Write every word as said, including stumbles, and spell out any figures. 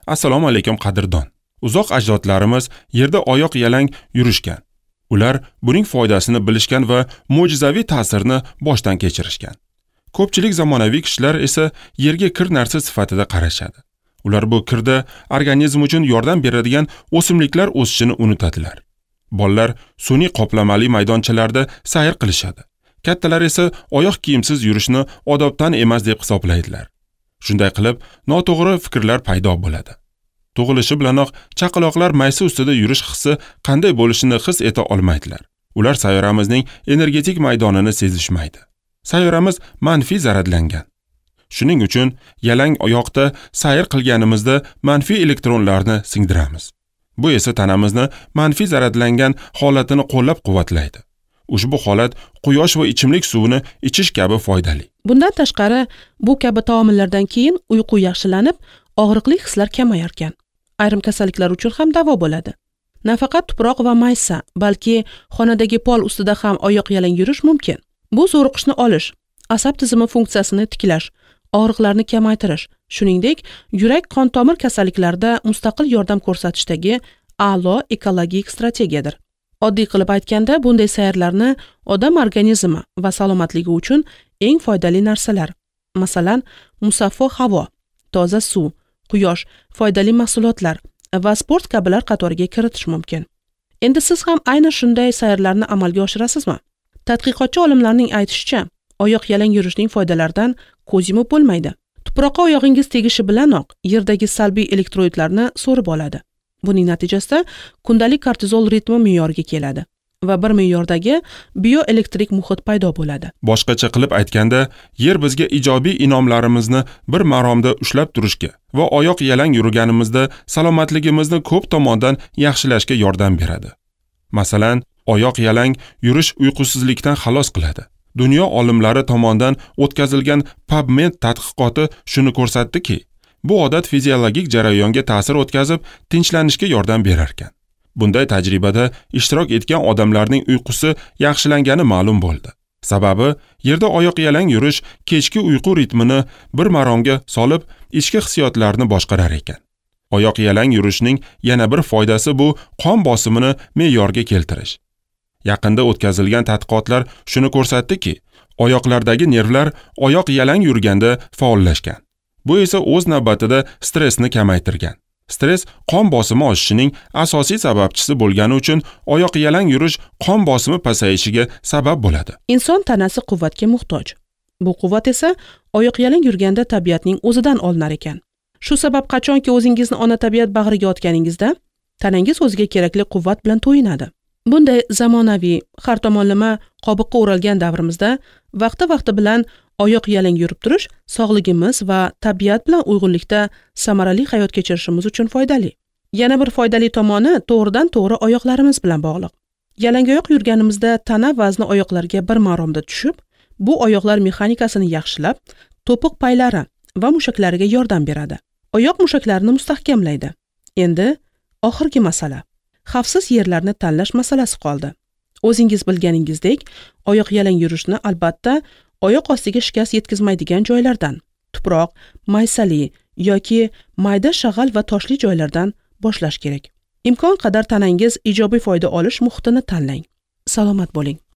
Assalomu alaykum qadrdon. Uzoq ajdodlarimiz yerda oyoq yalang yurishgan. Ular buning foydasini bilishgan va mo'jizaviy ta'sirni boshdan kechirishgan. Ko'pchilik zamonaviy kishilar esa yerga kir narsa sifatida qarashadi. Ular bu kirda organizm uchun yordam beradigan o'simliklar o'sishini unutadilar. Bolalar sun'iy qoplamali maydonchalarda sayr qilishadi. Kattalar esa oyoq kiyimsiz yurishni odobdan emas deb hisoblaydilar. Shunday qilib, noto'g'ri fikrlar paydo bo'ladi. Tug'ilishi bilanoq chaqaloqlar maysa ustida yurish hissi qanday bo'lishini his eta olmaydilar. Ular sayyoramizning energetik maydonini sezishmaydi. Sayyoramiz manfiy zaradlangan. Shuning uchun yalang oyoqda sayr qilganimizda manfiy elektronlarni singdiramiz. Bu esa tanamizni manfiy zaradlangan holatini qo'llab-quvvatlaydi. Ushbu holat quyosh va ichimlik suvini ichish kabi foydali. Bundan tashqari, bu kabi taomillardan keyin uyqu yaxshilanib, og'riqli hislar kamayar ekan. Ayrim kasalliklar uchun ham davo bo'ladi. Nafaqat tuproq va maysa, balki xonadagi pol ustida ham oyoq yalang yurish mumkin. Bu zo'riqishni olish, asab tizimi funksiyasini tiklash, og'riqlarni kamaytirish, shuningdek, yurak qon tomir kasalliklarida mustaqil yordam ko'rsatishdagi a'lo ekologik strategiyadir. Oddiy qilib aytganda, bunday sayrlarni odam organizmi va salomatligi uchun eng foydali narsalar, masalan, musaffo havo, toza suv, quyosh, foydali mahsulotlar va sport kabilar qatoriga kiritish mumkin. Endi siz ham aynan shunday sayrlarni amalga oshirasizmi? Tadqiqotchi olimlarning aytishicha, oyoq yalang yurishning foydalaridan ko'z yumib bo'lmaydi. Tuproqqa oyog'ingiz tegishi bilanoq yerdagi salbiy elektroidlarni so'rib oladi. Buning natijasida kundalik kortizol ritmi me'yorga keladi va bir me'yordagi bioelektrik muhit paydo bo'ladi. Boshqacha qilib aytganda, yer bizga ijobiy inomlarimizni bir maromda ushlab turishga va oyoq yalang yurganimizda salomatligimizni ko'p tomondan yaxshilashga yordam beradi. Masalan, oyoq yalang yurish uyqusizlikdan xalos qiladi. Dunyo olimlari tomonidan o'tkazilgan PubMed tadqiqoti shuni ko'rsatdiki, bu odat fiziologik jarayonga ta'sir o'tkazib, tinchlanishga yordam berar ekan. Bunday tajribada ishtirok etgan odamlarning uyqusi yaxshilangani ma'lum bo'ldi. Sababi, yerda oyoq yalang yurish kechki uyqu ritmini bir maromga solib, ichki hissiyotlarni boshqarar ekan. Oyoq yalang yurishning yana bir foydasi bu qon bosimini me'yorga keltirish. Yaqinda o'tkazilgan tadqiqotlar shuni ko'rsatdiki, oyoqlardagi nervlar oyoq yalang yurganda faollashgan. Bu esa o'z navbatida stressni kamaytirgan. Stress qon bosimi oshishining asosiy sababchisi bo'lgani uchun oyoq yalang yurish qon bosimi pasayishiga sabab bo'ladi. Inson tanasi quvvatga muhtoj. Bu quvvat esa oyoq yalang yurganda tabiatning o'zidan olinar ekan. Shu sabab qachonki o'zingizni ona tabiat bag'riga otganingizda, tanangiz o'ziga kerakli quvvat bilan to'yinadi. Bunday zamonaviy, har tomonlama qobiqqa o'ralgan davrimizda vaqti-vaqti bilan oyoq yalang yurib turish sog'ligimiz va tabiat bilan uyg'unlikda samarali hayot kechirishimiz uchun foydali. Yana bir foydali tomoni to'g'ridan-to'g'ri oyoqlarimiz bilan bog'liq. Yalangoyoq yurganimizda tana vazni oyoqlarga bir maromda tushib, bu oyoqlar mexanikasini yaxshilab, to'piq paylari va mushaklariga yordam beradi. Oyoq mushaklarini mustahkamlaydi. Endi oxirgi masala. Xavfsiz yerlarni tanlash masalasi qoldi. O'zingiz bilganingizdek, oyoq yalang yurishni albatta oyoq ostiga shikast yetkazmaydigan joylardan, tuproq, maysali yoki mayda shag'al va toshli joylardan boshlash kerak. Imkon qadar tanangiz ijobiy foyda olish muhitini tanlang. Salomat bo'ling.